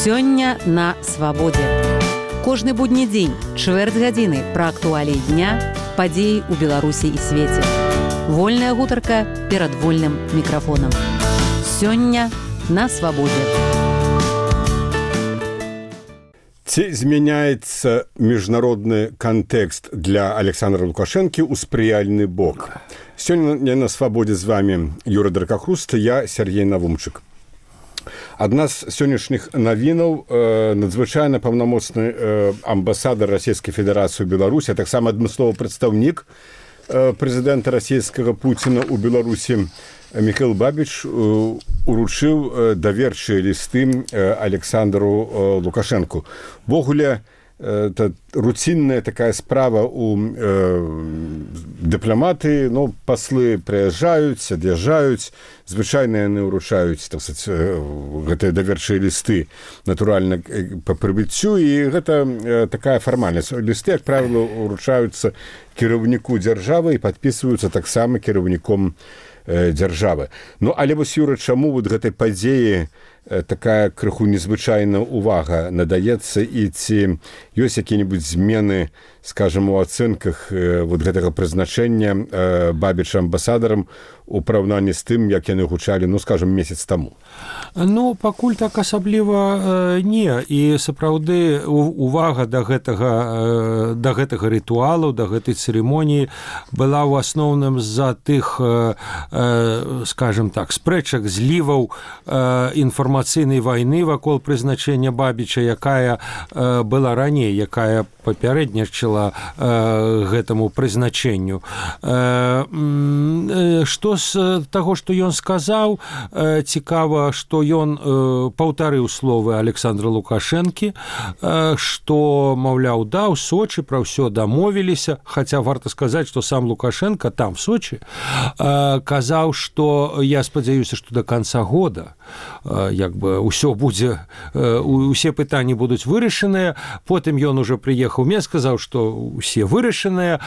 Сёння на свабодзе. Кожны будні дзень, чвэрць гадзіны пра актуаліі дня, падзеі ў Беларусі і свеце. Вольная гутарка перад вольным мікрафонам. Сёння на свабодзе. Ці змяняецца міжнародны кантэкст для Александра Лукашэнкі ў спрыяльны бок? Сёння на свабодзе з вами Юра Дракахруст, я Сергей Навумчык. Адна з сённяшніх навінаў надзвычайна паўнамоцны амбасадар Расійскай Федэрацыі ў Беларусі, а таксама адмысловы прадстаўнік прэзідэнта расійскага Пуціна ў Беларусі Міхаіл Бабіч уручыў даверчыя лісты Александру Лукашэнку. Ввогуле, это руцінная такая справа у дыпламаты, ну, паслы прыязджаюць, ад'язджаюць, звычайна яны ўручаюць, так сказаць, гэтыя даверчыя лісты, натуральна, па прыбыццю, і гэта такая фармальнасць. Лісты, як правіла, уручаюцца кіраўніку дзяржавы і падпісваюцца таксама кіраўніком дзяржавы. Ну, але вось, Юра, чаму вот гэтай падзеі такая крыху незвычайная увага надаецца, і ці ёсць якія-небудзь змены, скажам, у ацэнках вот гэтага прызначэння Бабіча амбасадарам у параўнанні з тым, як яны гучалі, ну, скажам, месяц таму? Ну, пакуль так асабліва не. І сапраўды увага да гэтага рытуалу, да гэтай цырымоніі была ў асноўным з-за тых, скажам так, спрэчак, зліваў інфармацыйнай вайны вакол прызначэння Бабіча, якая была раней, якая папярэднічала гэтаму прызначэнню. Што з таго, што ён сказаў, цікава, што ён паўтарыў словы Александра Лукашэнкі, што, маўляў, да, у Сочы пра ўсё дамовіліся, хаця варта сказаць, што сам Лукашэнка там, в Сочы, казаў, што я спадзяюся, што да канца года як бы ўсё будзе, усе пытанні будуць вырашаныя. Потым ён ужо прыехаў в Мінск, сказаў, што ўсе вырашаныя.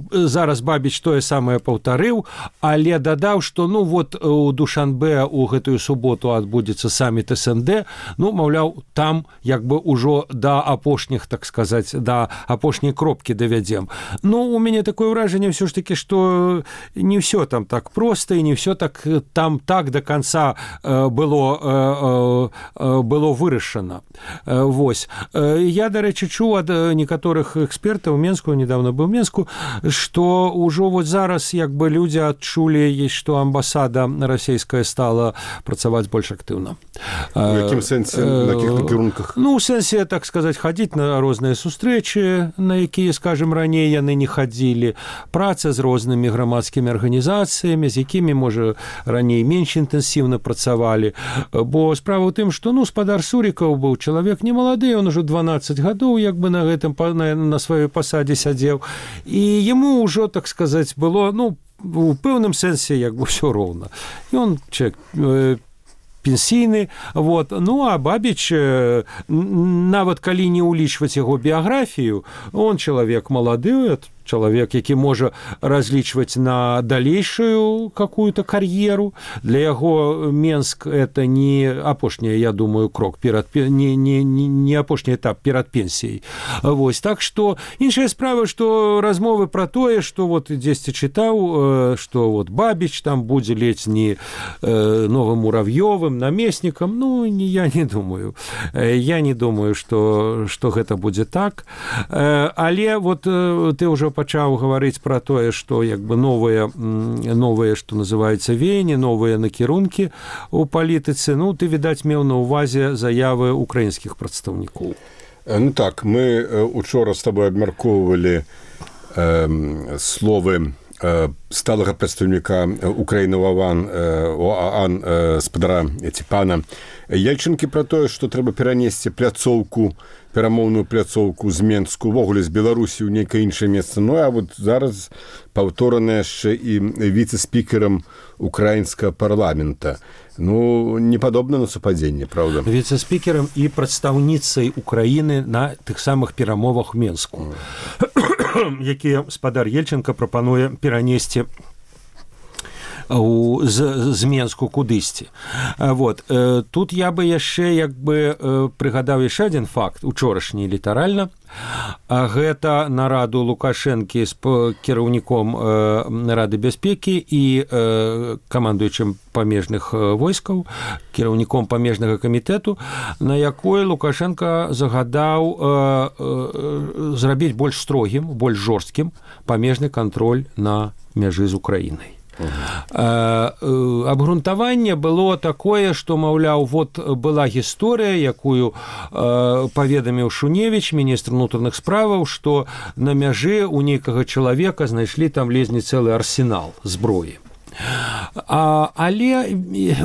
Зараз Бабіч тое самае паўтарыў, але дадаў, што, ну, вот у Душанбе у гэтую суботу адбудзецца саміт СНД, ну, маўляў, там як бы ўжо да апошніх, так сказаць, да апошняй кропкі давядзем. Ну, у мяне такое ўражанне ўсё ж такі, што не ўсё там так проста, і не ўсё так там так до конца было вырашана. Вось. Я, дарэчы, чуў ад некаторых экспертаў Мінску, недавно быў у Мінску, што ўжо вот зараз як бы людзі адчулі, што амбасада расійская стала працаваць больш актыўна. У якім сэнсе, на якіх накірунках? Ну, у сэнсе, так сказаць, хадзіць на розныя сустрэчы, на якія, скажем, раней яны не хадзілі, праца з рознымі грамадскімі арганізацыямі, з якімі, можа, раней менш інтэнсіўна працавалі. Бо справа ў тым, што, ну, спадар Сурікаў быў чалавек не малады, он ужо 12 гадоў як бы на гэтым, на сваёй пасадзе сядзеў, і яму ўжо, так сказаць, было, ну, у пэўным сэнсе як бы ўсё роўна. Ён чалавек пенсійны, вот. Ну, а Бабіч, нават калі не ўлічваць яго біяграфію, он чалавек малады, чалавек, які можа разлічваць на далейшую какую-то кар'еру. Для яго Мінск это не апошні, я думаю, крок перад не апошні этап перад пенсіяй. Вось, так што іншая справа, што размовы пра тое, што вот дзесьці чытаў, што вот Бабіч там будзе ледзь не новым Мурав'ёвым намеснікам, ну, я не думаю. Я не думаю, што гэта будзе так. Але вот ты ўжо пачаў гаварыць пра тое, што як бы новыя, што называецца, веянні, новыя накірункі ў палітыцы. Ну, ты, відаць, меў на ўвазе заявы украінскіх прадстаўнікоў. Ну так, мы учора з табой абмяркоўвалі словы сталага прадстаўніка Украіны ОАН спадара ці пана Ельчынкі пра тое, што трэба перанесці перамоўную пляцоўку з Мінску, увогуле з Беларусі ў нейкае іншае месца. Ну, а вот зараз паўторана яшчэ і віцэ-спікерам украінскага парламента. Ну, не падобна на супадзенне, правда? Віцэ-спікерам і прадстаўніцай Украіны на тых самых перамовах у Мінску, якія спадар Ельчынка прапануе перанесці з Менску кудысьці. Вот. Тут я бы яшчэ прыгадаў яшчэ адзін факт, учорашні літаральна. Гэта нараду Лукашэнкі з кіраўніком Рады бяспекі і камандуючым памежных войскаў, кіраўніком памежнага камітэту, на якой Лукашенко загадаў зрабіць больш строгім, больш жорсткім памежны кантроль на мяжы з Украінай. Абгрунтаванне было такое, што, маўляў, вот была гісторыя, якую паведаміў Шуневіч, міністр унутраных справаў, што на мяжы у нейкага чалавека знайшлі там ледзьве цэлы арсенал зброі. Але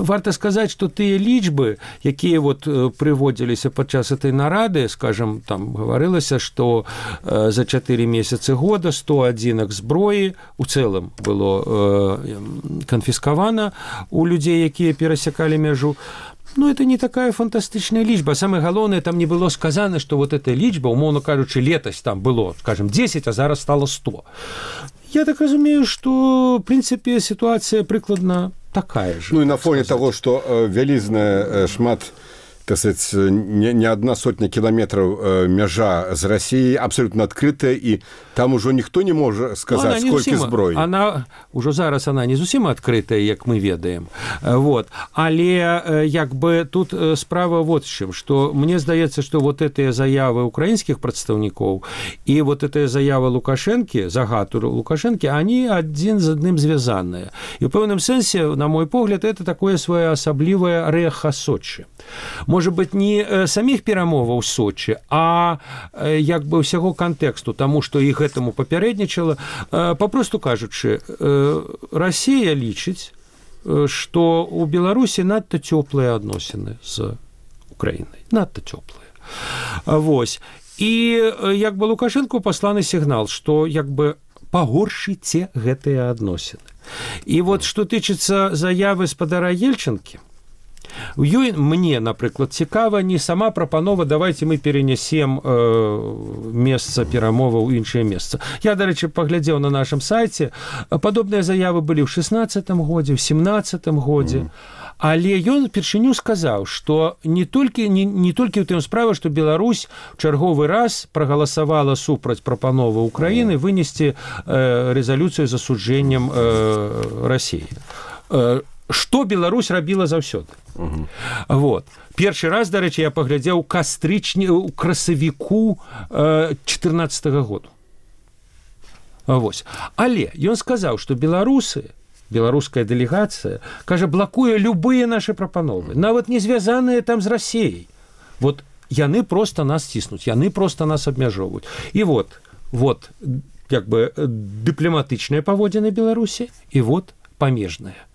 варта сказаць, што тыя лічбы, якія прыводзіліся падчас этой нарады, скажем, там гаварылася, што за 4 месяцы года 100 адзінак зброі у цэлым было канфіскавана у людзей, якія перасякалі мяжу. Ну, это не такая фантастычная лічба. Самае галоўнае, там не было сказана, што вот эта лічба, умоўна кажучы, летась там было, скажем, 10, а зараз стало 100. Я так разумею, што, в прынцыпе, сітуацыя прыкладна такая ж. Ну, і на фоне таго, што вялізная шмат, так сказать, не одна сотня кіламетраў мяжа з Расіяй абсолютно адкрытая, і там ужо ніхто не можа сказаць, сколькі зброі. Ужо зараз она не зусім адкрытая, як мы ведаем. Вот. Але тут справа вот з чым, што мне здаецца, што вот гэтыя заявы украінскіх прадстаўнікоў і вот гэтая заява Лукашэнкі, загад Лукашэнкі, они адзін з адным звязаныя. І ў пэўным сэнсе, на мой погляд, это такое своеасаблівае рэха Сочи. Может быть, не самих перамоваў Сочи, а ўсяго кантэксту, таму што іх гэтаму папярэднічала. Папросту кажучы, Расія лічыць, што ў Беларусі надта цёплыя адносіны з Украінай. Надта цёплыя. Вось. І Лукашэнку пасланы сігнал, што пагоршыце гэтыя адносіны. І вот што тычыцца заявы спадара Ельчынкі, у ёй мне, напрыклад, цікава не сама прапанова, давайте мы перенесем месца перамоваў у іншае месца. Я, дарэчы, паглядзеў на нашым сайце, падобныя заявы былі ў 16-м годзе, ў 17-м годзе, але ён упершыню сказаў, што не толькі ў тым справа, што Беларусь ў чарговы раз прагаласавала супраць прапановы Украіны вынесці рэзалюцыю з асуджэннем Расіі. Што Беларусь рабіла заўсёды. Вот. Першы раз, дарэчы, я паглядзеў у красавіку 14-го году. Вось. Але ён сказаў, што беларуская дэлегацыя, кажа, блакуе любыя нашы прапановы, нават не звязаныя там з Расіяй. Вот яны проста нас ціснуць, яны проста нас абмяжоўваюць. І вот дыпламатычныя паводзіны Беларусі, і вот памежныя.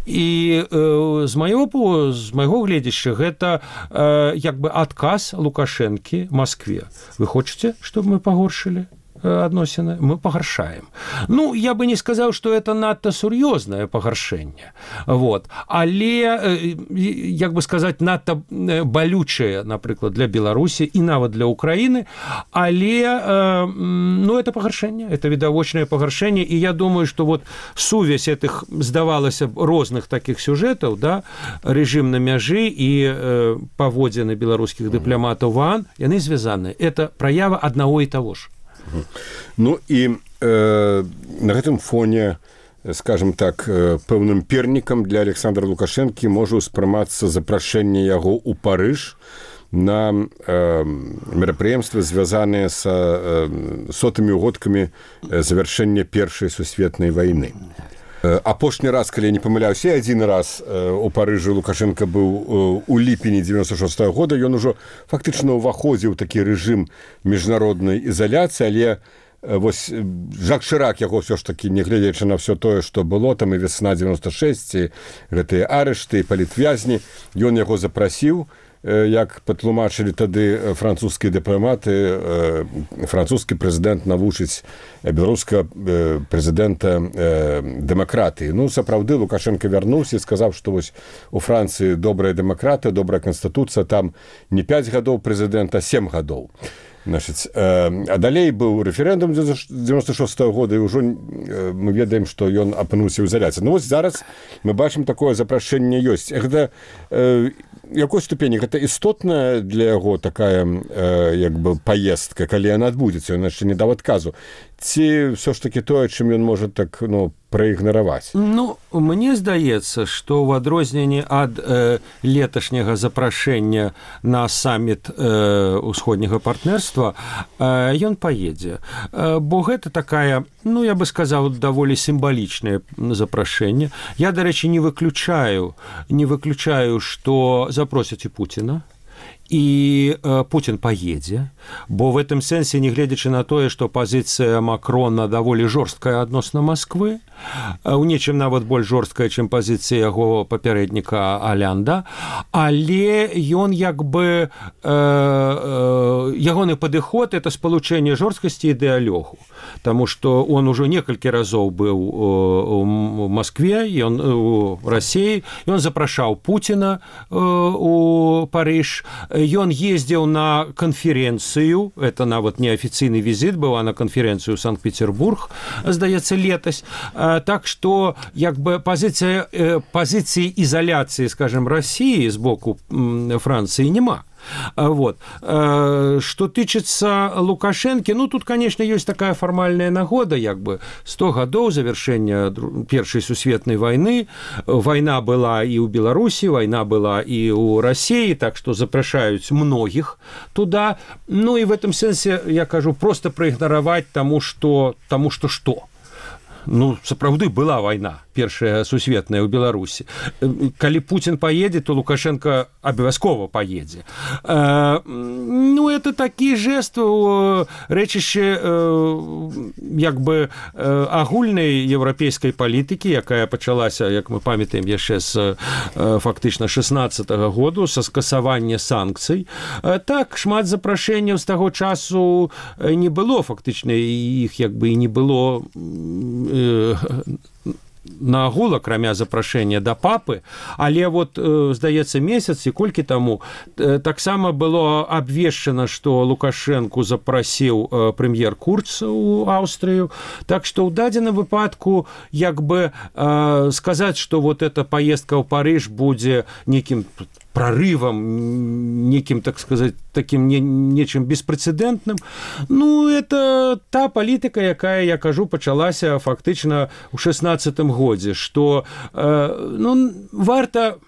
І з майго гледзяща гэта адказ Лукашэнкі Маскве. Вы хочаце, чтобы мы пагоршылі адносіны? Мы пагаршаем. Ну, я бы не сказаў, што это надта сур'ёзнае пагаршэнне. Вот. Але, надта балючае, напрыклад, для Беларусі і нават для Украіны, але, это пагаршэнне, это відавочнае пагаршэнне, і я думаю, што вот сувязь этих, здавалася б, розных такіх сюжэтаў, да, рэжым на мяжы і паводзіны беларускіх дыпламатаў в ОАН, яны звязаныя. Это праява аднаго і таго ж. Ну і на гэтым фоне, скажем так, пэўным пернікам для Александра Лукашэнкі можа ўспрымацца запрашэнне яго ў Парыж на мерапрыемствы, звязаныя са сотымі годкамі завяршэння Першай сусветнай вайны. Апошні раз, калі я не памыляюся, адзін раз у Парыжы Лукашенко быў у ліпені 96-го года, ён ужо фактычна ўваходзіў такі рэжым міжнароднай ізаляцыі, але вось Жак Шырак яго ўсё ж такі, нягледзячы на ўсё тое, што было, там і весна 96, гэтыя арышты, палітвязні, ён яго запрасіў, як патлумачылі тады французскія дыпламаты, французскі прэзідэнт навучыць беларускага прэзідэнта дэмакратыі. Ну, сапраўды, Лукашенко вярнуўся і сказаў, што вось у Францыі добрая дэмакратыя, добрая канстытуцыя, там не 5 гадоў прэзідэнта, а 7 гадоў. Значит, а далей быў рэферэндум 96-го года, і ўжо мы ведаем, што ён апынуўся ў ізаляцыі. Ну, вось зараз мы бачым такое запрашэнне ёсць. Гэта якой ступені? Гэта істотная для яго такая як бы паездка, калі яна адбудзецца, ён яшчэ не даў адказу. Ці ўсё ж такі тое, чым ён можа так, праігнараваць? Ну, мне здаецца, што ў адрозненні ад леташняга запрашэння на саміт усходняга партнерства ён паедзе. Бо гэта такая, я бы сказаў, даволі сімвалічнае запрашэнне. Я, дарэчы, не выключаю, што запросяць і Пуціна, і Путін паедзе, бо в этом сэнсе, не гледзячы на тое, што пазіцыя Макрона даволі жорсткая адносна Масквы, у нечым нават больш жорсткая, чым пазіцыя яго папярэдніка Алянда, але ён як бы ягоны падыход — это спалучэнне жорсткасці і дыялогу, таму што он ужо некалькі разоў быў у Маскве, ён у Расіі, ён запрашаў Пуціна у Парыж, ён ездзіў на канферэнцыю, это нават неафіцыйны візіт быў, а на канферэнцыю Санкт-Петербург, здаецца, летась. Так што як бы пазіцыі ізаляцыі, скажем, Расіі з боку Францыі няма. Вот. Что тычыцца Лукашэнкі, тут, конечно, ёсць такая фармальная нагода, як бы 100 гадоў завершэння Першай сусветнай вайны. Вайна была і ў Беларусі, вайна была і ў Расіі, так што запрашаюць многіх туда. Ну і в этом сэнсе, я кажу, просто праігнараваць таму што. Сапраўды была вайна, Першая сусветная ў Беларусі. Калі Пуцін паедзе, то Лукашенко абавязкова паедзе. Это такі жэст, рэчышча як бы агульнай еўрапейскай палітыкі, якая пачалася, як мы памятаем, яшчэ з фактычна 16-го году, са скасавання санкцый. Так, шмат запрашэнняў з таго часу не было, фактычна іх як бы і не было на агул, акрамя запрашэння да папы, але здаецца, месяц і колькі таму таксама было абвешчана, што Лукашэнку запрасіў прэм'ер Курц у Аўстрыю, так што ў дадзеным выпадку як бы сказаць, што эта паездка ў Парыж будзе нейкім прорывом, неким, так сказать, таким нечым беспрэцэдэнтным. Это та палітыка, якая, я кажу, пачалася фактычна ў 16-м годзе, што варта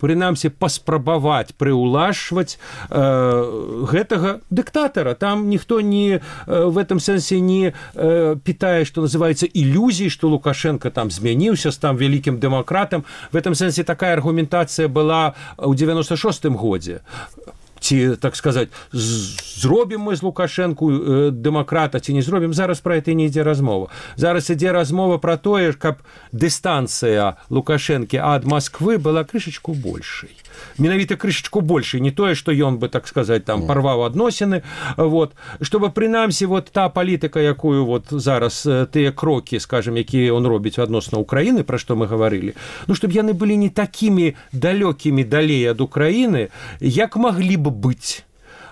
прынамсі паспрабаваць прыўлашваць гэтага дыктатара. Там ніхто не в этом сэнсе не пытае, што называецца, ілюзій, што Лукашенко там змяніўся, стаў вялікім дэмакратам. В этом сэнсе такая аргументацыя была ў 96-м годзе. Ці, так сказаць, зробім мы з Лукашэнку дэмакрата, ці не зробім, зараз пра гэта не ідзе размова. Зараз ідзе размова пра тое, каб дыстанцыя Лукашэнкі ад Масквы была крышачку большай. Менавіта крышачку большай, не тое, што ён бы, так сказаць, там парваў адносіны, чтобы прынамсі та палітыка, якую зараз тыя крокі, скажем, якія он робіць адносна Украіны, пра што мы гаварылі, чтобы яны былі не такімі далёкімі далей ад Украіны, як маглі б быць.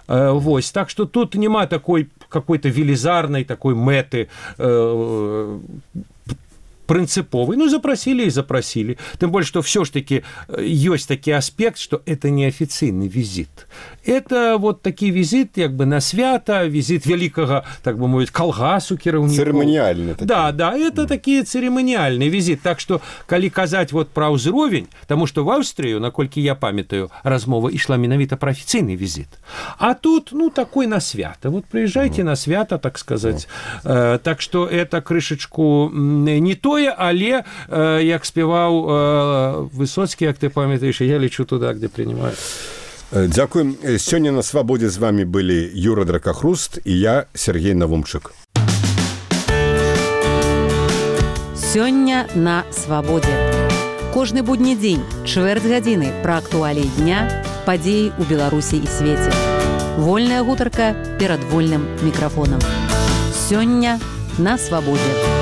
Так што тут няма такой какой-то велізарнай такой мэты прынцыповай. Запросили и запросили. Тем более, что все ж таки есть такой аспект, что это не официальный визит. Это такі визит як бы на свята, визит великого, так бы мовіць, калгасу кіраўнікоў. Церемониальный. Да, это такі церемониальный визит. Так что, калі казаць пра ўзровень, тому что в Австрию, наколькі я памятаю, размова ішла менавіта пра афіцыйны визит. А тут, такой на свята. Приезжайте на свята, так сказать. Так что это крышечку не тое, але, як спеваў Высоцкі, як ты памятаеш, я лечу туда, где принимают. Дзякуем. Сёння на Свабодзе з вами былі Юра Дракахруст і я, Сергей Навумчык. Сёння на Свабодзе. Кожны будні дзень, чвэрць гадзіны пра актуаліі дня, падзеі ў Беларусі і свеце. Вольная гутарка перад вольным мікрафонам. Сёння на Свабодзе.